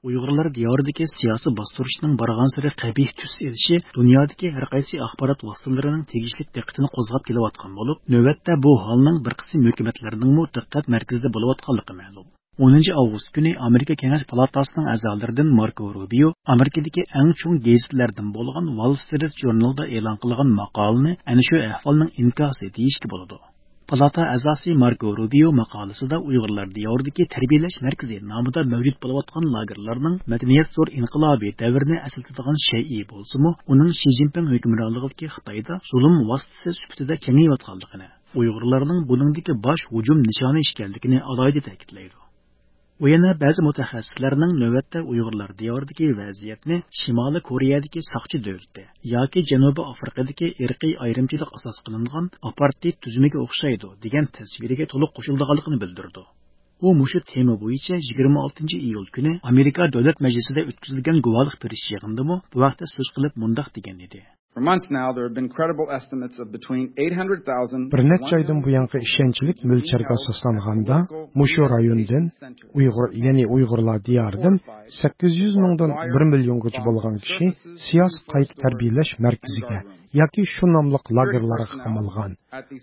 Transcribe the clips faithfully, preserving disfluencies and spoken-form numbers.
ئۇيغۇرلار دىيارىدىكى سىياسىي باستۇرۇشنىڭ بارغانسېرى قەبىھ تۈس ئېلىشى دۇنيادىكى ھەر قايسى ئاخبارات ۋاسىتىلىرىنىڭ تېگىشلىك دىققىتىنى قوزغاپ كېلىۋاتقان بولۇپ، نۆۋەتتە بۇ ھالنىڭ بىر قىسىم ھۆكۈمەتلەرنىڭمۇ دىققەت مەركىزىدە بولۇۋاتقانلىقى مەلۇم. ئونىنچى ئاۋغۇست كۈنى ئامېرىكا كېڭەش پالاتاسىنىڭ ئەزالىرىدىن ماركو روبىيو ئامېرىكىدىكى ئەڭ چوڭ گېزىتلەردىن بولغان ۋال سترىت ژۇرنىلىدا ئېلان قىلغان ماقالىنى ئەنە شۇ ئەھۋالنىڭ ئىنكاسى دېيىشكە بولىدۇ. پالاتا ئەزاسى ماركو روبىيو ماقالىسىدا ئۇيغۇرلار دىيارىدىكى تەربىيەلەش مەركىزى نامىدا مەۋجۇت بولۇۋاتقان لاگېرلارنىڭ مەدەنىيەت زور ئىنقىلابى دەۋرىنى ئەسلىتىدىغان شەيئى بولسىمۇ، ئۇنىڭ شى جىنپىڭ ھۆكۈمرانلىقىدىكى خىتايدا زۇلۇم ۋاسىتىسى سۈپىتىدە كېڭىيىۋاتقانلىقىنى، ئۇيغۇرلارنىڭ بۇنىڭدىكى باش ھۇجۇم نىشانى ئىكەنلىكىنى ئالاھىدە تەكىتلەيدۇ. ئۇ يەنە بەزى مۇتەخەسسىسلەرنىڭ نۆۋەتتە ئۇيغۇرلار دىيارىدىكى ۋەزىيەتنى شىمالىي كورېيەدىكى ساقچى دۆلىتى ياكى جەنۇبىي ئافرىقىدىكى ئىرقىي ئايرىمچىلىق ئاساس قىلىنغان ئاپارتېيد تۈزۈمىگە ئوخشايدۇ، دېگەن تەسۋىرىگە تولۇق قوشۇلىدىغانلىقىنى بىلدۈرىدۇ. ئۇ مۇشۇ تېما بويىچە يىگىرمە ئالتىنچى ئىيۇل كۈنى ئامېرىكا دۆلەت مەجلىسىدە ئۆتكۈزۈلگەن گۇۋاھلىق بېرىش يىغىنىدىمۇ بۇ ھەقتە سۆز قىلىپ مۇنداق دېگەن ئىدى. For months now, there have been credible estimates of between eight hundred thousand بىر نەچچە ئايدىن بۇيانقى ئىشەنچلىك مۆلچەرگە ئاساسلانغاندا، مۇشۇ رايوندىن، ئۇيغۇر، يەنى ئۇيغۇرلار دىيارىدىن سەككىز يۈز مىڭدىن بىر مىليونغىچە بولغان كىشى سىياسىي قايتا تەربىيەلەش مەركىزىگە ياكى شۇ ناملىق لاگېرلارغا قامالغان.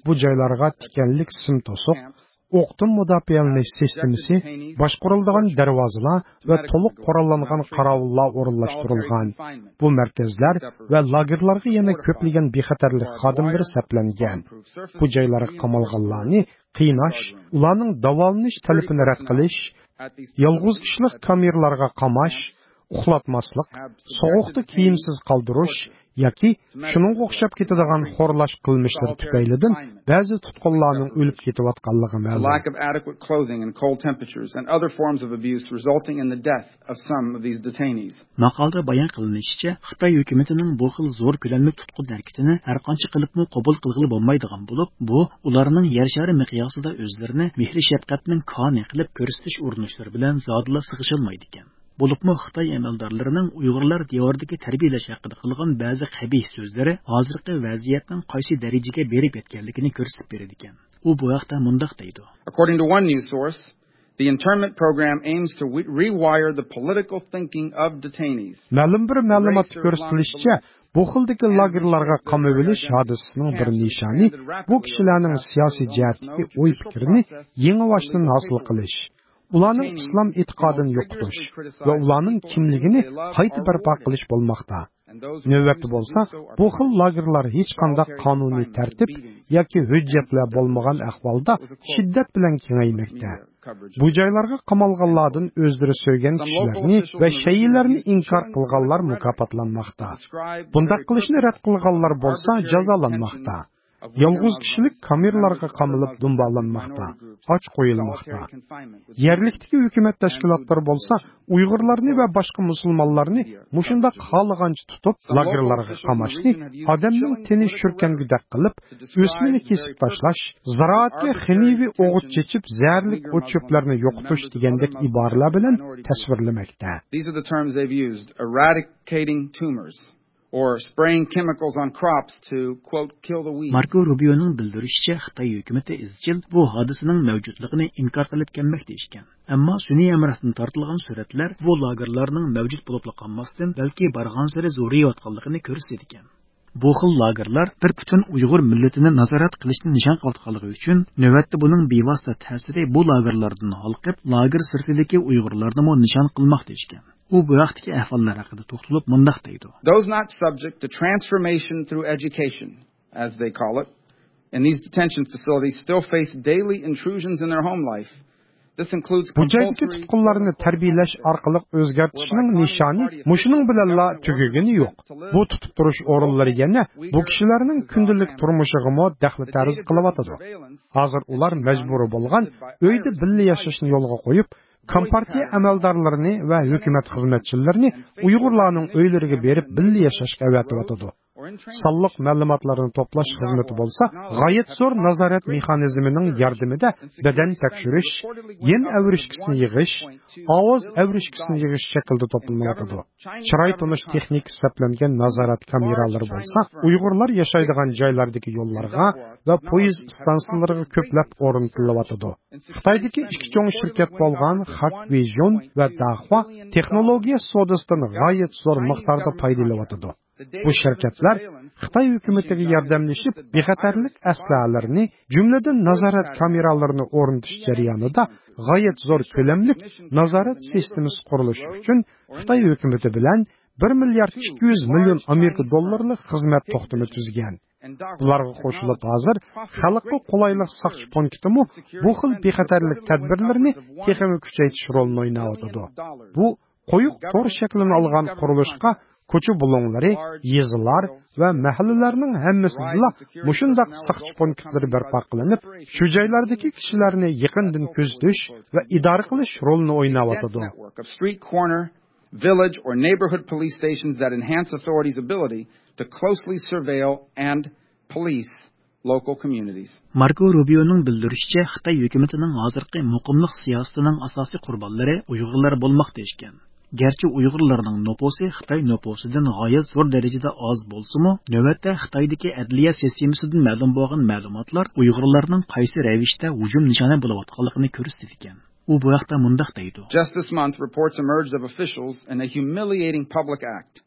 بۇ جايلارغا تىكەنلىك سىم توسۇق، ئوقتىن مۇداپىئەلىنىش سىستېمىسى، باشقۇرۇلىدىغان دەرۋازىلار ۋە تولۇق قوراللانغان قاراۋۇللار ئورۇنلاشتۇرۇلغان. بۇ مەركەزلەر ۋە لاگېرلارغا يەنە كۆپلىگەن بىخەتەرلىك خادىملىرى سەپلەنگەن. بۇ جايلارغا قامالغانلارنى قىيناش، ئۇلارنىڭ داۋالىنىش تەلىپىنى رەت قىلىش، يالغۇز كىشىلىك كامېرلارغا قاماش، ئۇخلاتماسلىق، سوغۇقتا كىيىمسىز قالدۇرۇش ياكى شۇنىڭغا ئوخشاپ كېتىدىغان خورلاش قىلمىشلىرى تۈپەيلىدىن بەزى تۇتقۇنلارنىڭ ئۆلۈپ كېتىۋاتقانلىقى مەلۇم. Lack of adequate clothing and cold temperatures and other forms of abuse resulting in the death of some of these detainees. ماقالىدا بايان قىلىنىشىچە، خىتاي ھۆكۈمىتىنىڭ بۇ خىل زور كۆلەملىك تۇتقۇن ھەرىكىتىنى ھەر قانچە قىلىپمۇ قوبۇل قىلغىلى بولمايدىغان بولۇپ، بۇ ئۇلارنىڭ يەر شارى مىقياسىدا ئۆزلىرىنى مېھرى شەپقەتنىڭ كانى قىلىپ كۆرسىتىش ئۇرۇنۇشلىرى بىلەن زادىلا سىغىشالمايدىكەن. بولۇپمۇ خىتاي ئەمەلدارلىرىنىڭ ئۇيغۇرلار دىيارىدىكى تەربىيەلەش ھەققىدە قىلغان بەزى قەبىھ سۆزلىرى ھازىرقى ۋەزىيەتنىڭ قايسى دەرىجىگە بېرىپ يەتكەنلىكىنى كۆرسىتىپ بېرىدىكەن. ئۇ بۇ ھەقتە مۇنداق دەيدۇ. According to one news source, the internment program aims to re- rewire the political thinking of detainees. مەلۇم بىر مەلۇماتتا كۆرسىتىلىشىچە، بۇ خىلدىكى لاگېرلارغا قامىۋېلىش ھادىسىسىنىڭ بىر نىشانى بۇ كىشىلەرنىڭ سىياسىي جەھەتتىكى ئوي پىكرىنى يېڭىباشتىن ھاسىل قىلىش، ئۇلارنىڭ ئىسلام ئېتىقادىنى يوقىتىش ۋە ئۇلارنىڭ كىملىكىنى قايتا بەرپا قىلىش بولماقتا. نۆۋەتتە بولسا، بۇ خىل لاگېرلار ھېچقانداق قانۇنىي تەرتىپ ياكى ھۆججەتلەر بولمىغان ئەھۋالدا شىددەت بىلەن كېڭەيمەكتە. بۇ جايلارغا قامالغانلاردىن ئۆزلىرى سۆيگەن كىشىلەرنى ۋە شەيئىلەرنى ئىنكار قىلغانلار مۇكاپاتلانماقتا. بۇنداق قىلىشنى رەت قىلغانلار بولسا جازالانماقتا. يالغۇز كىشىلىك كامېرلارغا قامىلىپ دۇمبالانماقتا، ئاچ قويۇلماقتا. يەرلىكتىكى ھۆكۈمەت تەشكىلاتلىرى بولسا ئۇيغۇرلارنى ۋە باشقا مۇسۇلمانلارنى مۇشۇنداق خالىغانچە تۇتۇپ، لاگېرلارغا قاماشنى ئادەمنىڭ تېنى شۈركەنگۈدەك قىلىپ، ئۆسمىنى كېسىپ تاشلاش، زىرائەتكە خىمىيىۋى ئوغۇت چېچىپ، زەھەرلىك ئوت-چۆپلەرنى يوقىتىش دېگەندەك ئىبارىلەر بىلەن تەسۋىرلىمەكتە. These are the terms they've used, eradicating tumors or spraying chemicals on crops to, quote, kill the weeds. ماركو روبىيونىڭ بىلدۈرۈشىچە، خىتاي ھۆكۈمىتى ئىزچىل بۇ ھادىسىنىڭ مەۋجۇتلۇقىنى ئىنكار قىلىپ كەلمەكتە ئىكەن. ئەمما سۈنئىي ھەمراھتىن تارتىلغان سۈرەتلەر بۇ لاگېرلارنىڭ مەۋجۇت بولۇپلا قالماستىن، بەلكى بارغانسېرى زورىيىۋاتقانلىقىنى كۆرسىتىدىكەن. بۇ خىل لاگېرلار بىر پۈتۈن ئۇيغۇر مىللىتىنى نازارەت قىلىشنى نىشان قىلىۋاتقانلىقى ئۈچۈن، نۆۋەتتە بۇنىڭ بىۋاسىتە تەسىرى بۇ لاگېرلاردىن ھالقىپ، لاگېر سىرتىدىكى ئۇيغۇرلارنىمۇ نىشان قىلماقتا ئىكەن. ئۇ بۇ ھەقتىكى ئەھۋاللار ھەققىدە توختىلىپ مۇنداق دەيدۇ. Those not subject to transformation through education, as they call it, in these detention facilities still face daily intrusions in their home life. This includes بۇ جايدىكى تۇتقۇنلارنى تەربىيەلەش ئارقىلىق ئۆزگەرتىشنىڭ نىشانى مۇشۇنىڭ بىلەنلا تۈگىگىنى يوق. بۇ تۇتۇپ تۇرۇش ئورۇنلىرى يەنە بۇ كىشىلەرنىڭ كۈندىلىك تۇرمۇشىغىمۇ دەخلى تەرۇز قىلىۋاتىدۇ. ھازىر ئۇلار مەجبۇرىي بولغان ئۆيدە بىللە ياشاشنى يولغا قويۇپ، كومپارتىيە ئەمەلدارلىرىنى ۋە ھۆكۈمەت خىزمەتچىلىرىنى ئۇيغۇرلارنىڭ ئۆيلىرىگە بېرىپ بىللە ياشاشقا ئەۋەتىۋاتىدۇ. سانلىق مەلۇماتلارنى توپلاش خىزمىتى بولسا، غايەت زور نازارەت مېخانىزمىنىڭ ياردىمىدە بەدەن تەكشۈرۈش، يەن ئەۋرىشكىسىنى يىغىش، ئاۋاز ئەۋرىشكىسىنى يىغىش شەكلىدە توپلىنىۋاتىدۇ. چىراي تونۇش تېخنىكىسى سەپلەنگەن نازارەت كامېرالىرى بولسا، ئۇيغۇرلار ياشايدىغان جايلاردىكى يوللارغا ۋە پويىز ئىستانسىلىرىغا كۆپلەپ ئورنىتىلىۋاتىدۇ. خىتايدىكى ئىككى چوڭ شىركەت بولغان خاك ۋىژن ۋە داخۇا تېخنولوگىيە سودىسىدىن غايەت زور مىقداردا پايدىلىنىۋاتىدۇ. بۇ شىركەتلەر خىتاي ھۆكۈمىتىگە ياردەملىشىپ، بىخەتەرلىك ئەسلىھەلىرىنى، جۈملىدىن نازارەت كامېرالىرىنى ئورنىتىش جەريانىدا غايەت زور كۆلەملىك نازارەت سىستېمىسى قۇرۇلۇشى ئۈچۈن خىتاي ھۆكۈمىتى بىلەن بىر مىليارد ئىككى يۈز مىليون ئامېرىكا دوللارلىق خىزمەت توختىمى تۈزگەن. بۇلارغا قوشۇلۇپ، ھازىر خەلققە قولايلىق ساقچى پونكىتىمۇ بۇ خىل بىخەتەرلىك تەدبىرلىرىنى تېخىمۇ كۈچەيتىش رولىنى ئويناۋاتىدۇ. بۇ قويۇق تور شەكلىنى ئالغان قۇرۇلۇشقا كوچا بۇلۇڭلىرى، يېزىلار ۋە مەھەللىلەرنىڭ ھەممىسىدىلا مۇشۇنداق ساقچى پونكىتلىرى بەرپا قىلىنىپ، شۇ جايلاردىكى كىشىلەرنى يېقىندىن كۆزىتىش ۋە ئىدارە قىلىش رولىنى ئويناۋاتىدۇ. Street corner, village or neighborhood police stations that enhance authorities' ability to closely surveil and police local communities. ماركو روبىيونىڭ بىلدۈرۈشىچە، خىتاي ھۆكۈمىتىنىڭ ھازىرقى مۇقىملىق سىياسىتىنىڭ ئاساسىي قۇربانلىرى ئۇيغۇرلار بولماقتا ئىكەن. گەرچە ئۇيغۇرلارنىڭ نوپۇسى خىتاي نوپۇسىدىن غايەت زور دەرىجىدە ئاز بولسىمۇ، نۆۋەتتە خىتايدىكى ئەدلىيە سىستېمىسىدىن مەلۇم بولغان مەلۇماتلار ئۇيغۇرلارنىڭ قايسى رەۋىشتە ھۇجۇم نىشانى بولۇۋاتقانلىقىنى كۆرسىتىدىكەن. ئۇ بۇ ھەقتە مۇنداق دەيدۇ. Just this month, reports emerged of officials in a humiliating public act,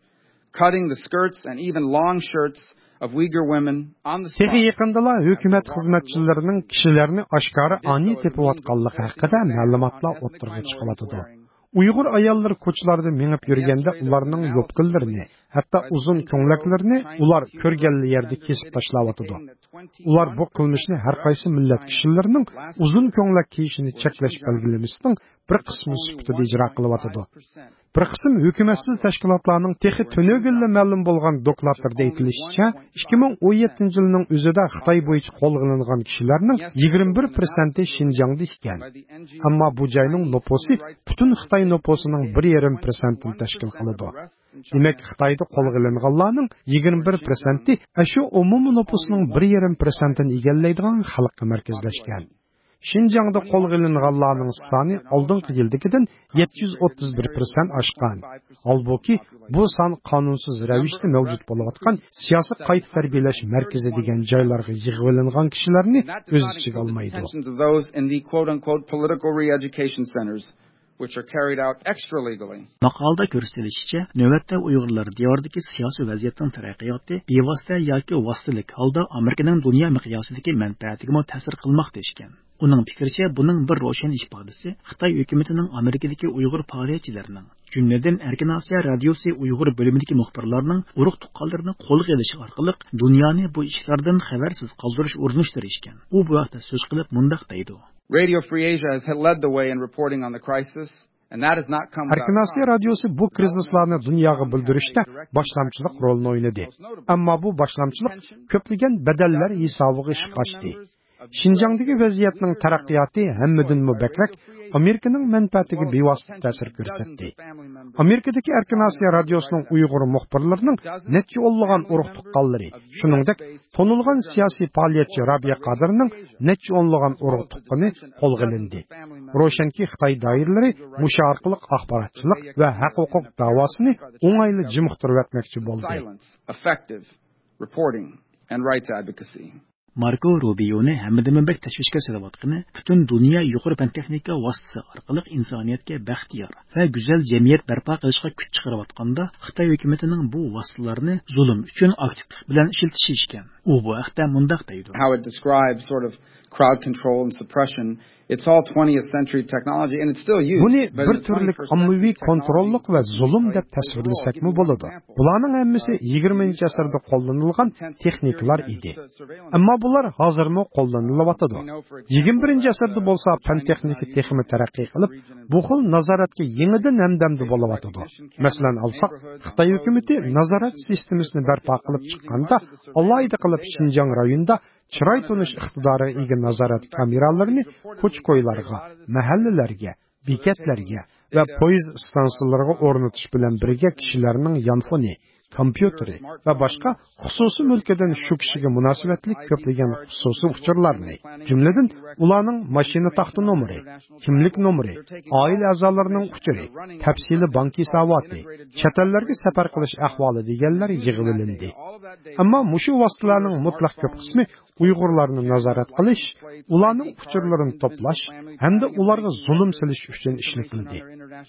cutting the skirts and even long shirts of Uyghur women on the spot. تېخى يېقىندىلا ھۆكۈمەت خىزمەتچىلىرىنىڭ كىشىلەرنى ئاشكارا ئانىي تېپىۋاتقانلىقى ھەققىدە مەلۇماتلار ئوتتۇرىغا چىقىۋاتىدۇ. ئۇيغۇر ئاياللىرى كوچىلاردا مېڭىپ يۈرگەندە ئۇلارنىڭ يوپكىلىرىنى، ھەتتا ئۇزۇن كۆڭلەكلىرىنى ئۇلار كۆرگەنلا يەردە كېسىپ تاشلاۋاتىدۇ. ئۇلار بۇ قىلمىشنى ھەر قايسى مىللەت كىشىلىرىنىڭ ئۇزۇن كۆڭلەك كىيىشىنى چەكلەش بەلگىلىمىسىنىڭ بىر قىسمى سۈپىتىدە ئىجرا قىلىۋاتىدۇ. بىر قىسىم ھۆكۈمەتسىز تەشكىلاتلارنىڭ تېخى تۈنۈگۈنلا مەلۇم بولغان دوكلاتلىرىدا ئېيتىلىشىچە، ئىككى مىڭ ئون يەتتىنچى يىلنىڭ ئۆزىدە خىتاي بويىچە قولغا ئېلىنغان كىشىلەرنىڭ يىگىرمە بىر پىرسەنتى شىنجاڭدا ئىكەن. ئەمما بۇ جاينىڭ نوپۇسى پۈتۈن خىتاي نوپۇسىنىڭ بىر يېرىم پىرسەنتىنى تەشكىل قىلىدۇ. دېمەك، خىتايدا قولغا ئېلىنغانلارنىڭ يىگىرمە بىر پىرسەنتى ئەشۇ ئومۇمىي نوپۇسنىڭ بىر يېرىم پىرسەنتىنى ئىگىلەيدىغان خەلققە مەركەزلەشكەن. شىنجاڭدا قولغا ئېلىنغانلارنىڭ سانى ئالدىنقى يىلدىكىدىن يەتتە يۈز ئوتتۇز بىر پىرسەنت ئاشقان. ھالبۇكى، بۇ سان قانۇنسىز رەۋىشتە مەۋجۇت بولۇۋاتقان سىياسىي قايتا تەربىيەلەش مەركىزى دېگەن جايلارغا يىغىۋېلىنغان كىشىلەرنى ئۆز ئىچىگە ئالمايدۇ. Of those in the quote-unquote political re-education centers, which are carried out extra-legally. ماقالىدا كۆرسىتىلىشىچە، نۆۋەتتە ئۇيغۇرلار دىيارىدىكى سىياسىي ۋەزىيەتنىڭ تەرەققىياتى بىۋاسىتە ياكى ۋاسىتىلىك ھالدا ئامېرىكىنىڭ دۇنيا مىقياسىدىكى مەنپەئەتىگىمۇ تەسىر قىلماقتا ئىكەن. ئۇنىڭ پىكرىچە، بۇنىڭ بىر روشەن ئىپادىسى خىتاي ھۆكۈمىتىنىڭ ئامېرىكىدىكى ئۇيغۇر پائالىيەتچىلىرىنىڭ، جۈملىدىن ئەركىن ئاسىيا رادىيوسى ئۇيغۇر بۆلۈمىدىكى مۇخبىرلارنىڭ ئۇرۇق تۇغقانلىرىنى قولغا ئېلىش ئارقىلىق دۇنيانى بۇ ئىشلاردىن خەۋەرسىز قالدۇرۇش ئۇرۇنۇشلىرى ئىكەن. ئۇ بۇ ھەقتە سۆز قىلىپ مۇنداق دەيدۇ. Radio Free Asia has led the way in reporting on the crisis, and that has not come without ئەركىن ئاسىيا رادىيوسى بۇ كىرىزىسلارنى دۇنياغا بىلدۈرۈشتە باشلامچىلىق رولىنى ئوينىدى. ئەمما بۇ باشلامچىلىق كۆپلىگەن بەدەللەر ھېسابىغا ئىشقا ئاشتى. شىنجاڭدىكى ۋەزىيەتنىڭ تەرەققىياتى ھەممىدىنمۇ بەكرەك ئامېرىكىنىڭ مەنپەئەتىگە بىۋاسىتە تەسىر كۆرسەتتى. ئامېرىكىدىكى ئەركىن ئاسىيا رادىيوسىنىڭ ئۇيغۇر مۇخبىرلىرىنىڭ نەچچە ئونلىغان ئۇرۇق تۇغقانلىرى، شۇنىڭدەك تونۇلغان سىياسىي پائالىيەتچى رابىيە قادىرنىڭ نەچچە ئونلىغان ئۇرۇق تۇغقىنى قولغا ئېلىندى. روشەنكى، خىتاي دائىرىلىرى مۇشۇ ئارقىلىق ئاخباراتچىلىق ۋە ھەق-ھوقۇق داۋاسىنى ئوڭايلا جىمىقتۇرۇۋەتمەكچى بولدى. Silence, effective reporting and rights advocacy. ماركو روبىيونى ھەممىدىنمۇ بەك تەشۋىشكە سېلىۋاتقىنى، پۈتۈن دۇنيا يۇقىرى پەن-تېخنىكا ۋاسىتىسى ئارقىلىق ئىنسانىيەتكە بەختىيار ۋە گۈزەل جەمئىيەت بەرپا قىلىشقا كۈچ چىقىرىۋاتقاندا، خىتاي ھۆكۈمىتىنىڭ بۇ ۋاسىتىلەرنى زۇلۇم ئۈچۈن ئاكتىپلىق بىلەن ئىشلىتىشى ئىكەن. ئۇ بۇ ھەقتە مۇنداق دەيدۇ. How it describes sort of crowd control and suppression. It's all twentieth century technology and it's still used, بۇنى but بىر in the تۈرلۈك twenty-first ئاممىۋى century كونتروللۇق ۋە زۇلۇم دەپ تەسۋىرلىسەكمۇ بولىدۇ. بۇلارنىڭ ھەممىسى يىگىرمىنچى ئەسىردە قوللىنىلغان تېخنىكىلار ئىدى. ئەمما بۇلار ھازىرمۇ قوللىنىلىۋاتىدۇ. يىگىرمە بىرىنچى ئەسىردە بولسا پەن-تېخنىكا تېخىمۇ تەرەققىي قىلىپ، بۇ خىل نازارەتكە يېڭىدىن ھەمدەمدە بولۇۋاتىدۇ. مەسىلەن ئالساق، خىتاي ھۆكۈمىتى نازارەت سىستېمىسىنى بەرپا قىلىپ چىققاندا، ئالاھىدە قىلىپ شىنجاڭ رايونىدا چىراي تونۇش ئىقتىدارىغا ئىگە نازارەت كامېرالىرىنى كوچا-كويلارغا، مەھەللىلەرگە، بېكەتلەرگە ۋە پويىز ئىستانسىلىرىغا ئورنىتىش بىلەن بىرگە كىشىلەرنىڭ يانفونى، كومپيۇتېرى ۋە باشقا خۇسۇسىي مۈلكىدىن شۇ كىشىگە مۇناسىۋەتلىك كۆپلىگەن خۇسۇسىي ئۇچۇرلارنى، جۈملىدىن ئۇلارنىڭ ماشىنا تاختا نومۇرى، كىملىك نومۇرى، ئائىلە ئەزالىرىنىڭ ئۇچۇرى، تەپسىلىي بانك ھېساباتى، چەت ئەللەرگە سەپەر قىلىش ئەھۋالى دېگەنلەر يىغىۋېلىندى. ئەمما مۇشۇ ۋاسىتىلەرنىڭ مۇتلەق كۆپ قىسمى ئۇيغۇرلارنى نازارەت قىلىش، ئۇلارنىڭ ئۇچۇرلىرىنى توپلاش ھەمدە ئۇلارغا زۇلۇم سېلىش ئۈچۈن ئىشلىتىلدى.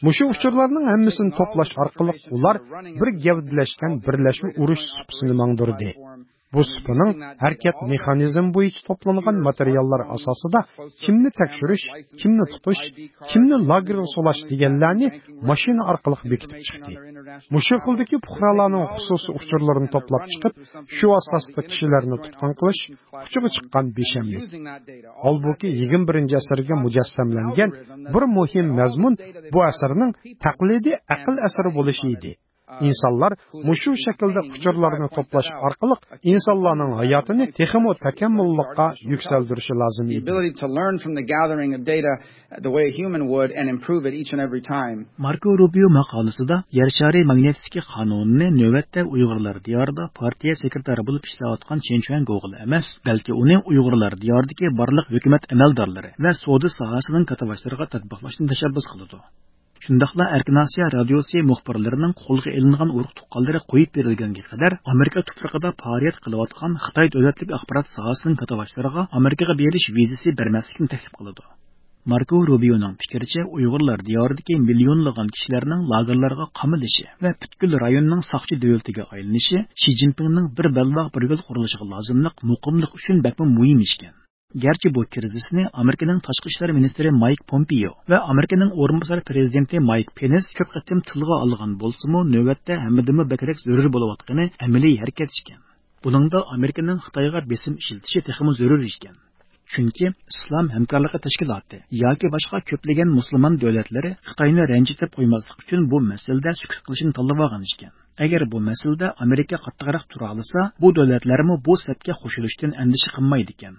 مۇشۇ ئۇچۇرلارنىڭ ھەممىسىنى توپلاش ئارقىلىق ئۇلار بىر گەۋدىلەشكەن بىرلەشمە ئۇرۇش سۇپىسىنى ماڭدۇردى. بۇ سۇپىنىڭ ھەرىكەت مېخانىزمى بويىچە توپلانغان ماتېرىياللار ئاساسىدا كىمنى تەكشۈرۈش، كىمنى تۇتۇش، كىمنى لاگېرغا سولاش دېگەنلەرنى ماشىنا ئارقىلىق بېكىتىپ چىقتى. مۇشۇ خىلدىكى پۇقرالارنىڭ خۇسۇسىي ئۇچۇرلىرىنى توپلاپ چىقىپ، شۇ ئاساستا كىشىلەرنى تۇتقۇن قىلىش ئۇچىغا چىققان بىشەملىك. ھالبۇكى، يىگىرمە بىرىنچى ئەسىرگە مۇجەسسەملەنگەن بىر مۇھىم مەزمۇن بۇ ئەسەرنىڭ تەقلىدىي ئەقىل ئەسىرى بولۇشى ئىدى. ئىنسانلار مۇشۇ شەكىلدە ئۇچۇرلارنى توپلاش ئارقىلىق ئىنسانلارنىڭ ھاياتىنى تېخىمۇ تاكامۇللۇققا يۈكسەلدۈرۈشى لازىم ئىدى. ماركو روبىيو ماقالىسىدا يەر شارى ماگنىتسكىي قانۇنىنى نۆۋەتتە ئۇيغۇرلار دىيارىدا پارتىيە سېكرېتارى بولۇپ ئىشلەۋاتقان چېن چۈەنگوغىلا ئەمەس، بەلكى ئۇنى ئۇيغۇرلار دىيارىدىكى بارلىق ھۆكۈمەت ئەمەلدارلىرى ۋە سودا ساھەسىنىڭ كاتتىباشلىرىغا تەتبىقلاشنى تەشەببۇس قىلىدۇ. شۇنداقلا ئەركىن ئاسىيا رادىيوسى مۇخبىرلىرىنىڭ قولغا ئېلىنغان ئۇرۇق-تۇغقانلىرى قويۇپ بېرىلگەنگە قەدەر ئامېرىكا تۇپرىقىدا پائالىيەت قىلىۋاتقان خىتاي دۆلەتلىك ئاخبارات ساھەسىنىڭ كاتتىباشلىرىغا ئامېرىكىغا بېرىش ۋىزىسى بەرمەسلىكنى تەكلىپ قىلىدۇ. ماركو روبىيونىڭ پىكرىچە، ئۇيغۇرلار دىيارىدىكى مىليونلىغان كىشىلەرنىڭ لاگېرلارغا قامىلىشى ۋە پۈتكۈل رايوننىڭ ساقچى دۆلىتىگە ئايلىنىشى شى جىنپىڭنىڭ بىر بەلباغ بىر يول قۇرۇلۇشىغا لازىملىق مۇقىملىق ئۈچۈن بەكمۇ مۇھىم ئىشكەن. گەرچە بۇ كىرىزىسنى ئامېرىكىنىڭ تاشقى ئىشلار مىنىستىرى مايك پومپېيو ۋە ئامېرىكىنىڭ ئورۇنباسار پىرېزىدېنتى مايك پېنس كۆپ قېتىم تىلغا ئالغان بولسىمۇ، نۆۋەتتە ھەممىدىنمۇ بەكرەك زۆرۈر بولۇۋاتقىنى ئەمەلىي ھەرىكەت ئىكەن. بۇنىڭدا ئامېرىكىنىڭ خىتايغا بېسىم ئىشلىتىشى تېخىمۇ زۆرۈر ئىكەن. چۈنكى ئىسلام ھەمكارلىقى تەشكىلاتى ياكى باشقا كۆپلىگەن مۇسۇلمان دۆلەتلىرى خىتاينى رەنجىتىپ قويماسلىق ئۈچۈن بۇ مەسىلىدە سۈكۈت قىلىشنى تاللىۋالغان ئىكەن. ئەگەر بۇ مەسىلىدە ئامېرىكا قاتتىقراق تۇرالىسا، بۇ دۆلەتلەرمۇ بۇ سەپكە قوشۇلۇشتىن ئەندىشە قىلمايدىكەن.